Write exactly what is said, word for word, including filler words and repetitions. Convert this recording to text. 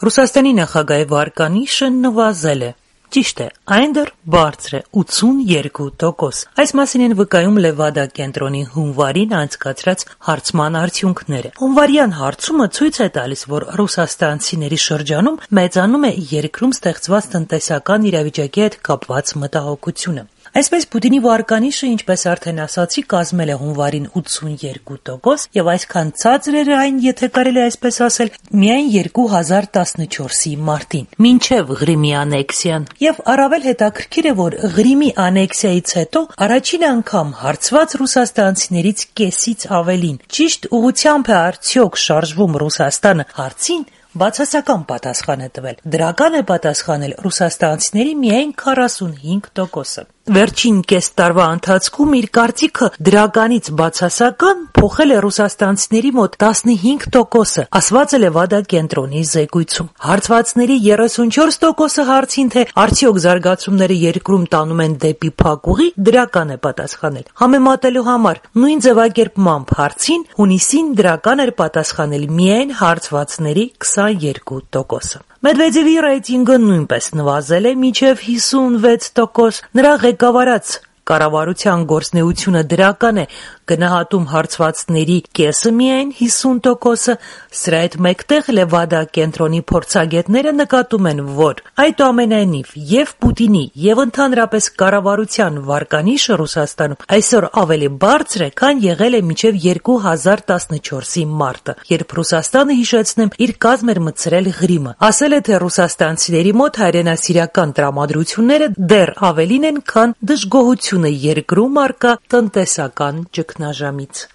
Ռուսաստանի նախագահի վարկանիշը նվազել է։ Ճիշտ է, այն դեռ բարձր է՝ ութսունյոթ տոկոս։ Այս մասին են վկայում Լևադա կենտրոնի հունվարին անցկացրած հարցման արդյունքները։ Հունվարյան հարցումը ցույց է տալիս, որ ռուսաստանցիների շրջանում մեծանում է երկրում ստեղծված տնտեսական իրավիճակի հետ կապված մտահոգությունը։ Այսպես Պուտինի վարկանիշը, ինչպես արդեն ասացի, կազմել է հունվարին ութսունյոթ տոկոս, եւ այսքան ցածր էր այն, եթե կարելի այսպես ասել, միայն երկու հազար տասնչորսի մարտին, մինչև Ղրիմի անեքսիան։ Եվ առավել հետաքրքիր է, որ Ղրիմի անեքսիայից հետո առաջին անգամ հարցված ռուսաստանցիներից կեսից ավելին ճիշտ ուղղությամբ է արդյոք շարժվում Ռուսաստանը հարցին բացասական պատասխան է տվել։ Դրական է պատասխանել ռուսաստանցիների միայն քառասունհինգ տոկոսը։ Վերջին կես տարվա ընթացքում իր կարծիքը դրականից բացասական փոխել է ռուսաստանցիների մոտ տասնհինգ տոկոսը, ասված է Լևադա կենտրոնի զեկույցում։ Հարցվածների երեսունչորս տոկոսը հարցին, թե արդյոք զարգացումները երկրում տանում են դեպի փակուղի, դրական է պատասխանել։ Համեմատելու համար նույն ձևակերպմամբ հարցին հունիսին դրական էր պատասխանել միայն հարցվածների քսանյոթ տոկոսը։ Մեդվեդևի ռեյտինգը նույնպես նվազել է մինչև հիսունվեց տոկոս։ Նրա ղեկավարած կառավարության գործունեությունը դրական է, գնահատում հարցվածների կեսը միայն հիսուն տոկոսը։ Սրա հետ մեկտեղ Լևադա կենտրոնի փորձագետները նկատում են, որ այդուամենայնիվ եւ Պուտինի եւ ընդհանրապես կառավարության վարկանիշը Ռուսաստանում այսօր ավելի բարձր է, քան եղել է մինչև երկու հազար տասնչորսի մարտը, երբ Ռուսաստանը, հիշեցնեմ, իր կազմ էր մտցրել Ղրիմը։ Ասել է, թե ռուսաստանցիների մոտ հայրենասիրական տրամադրությունները դեռ ավելին են, քան դժգոհությունը երկրում առկա տնտեսական ճգնաժամից։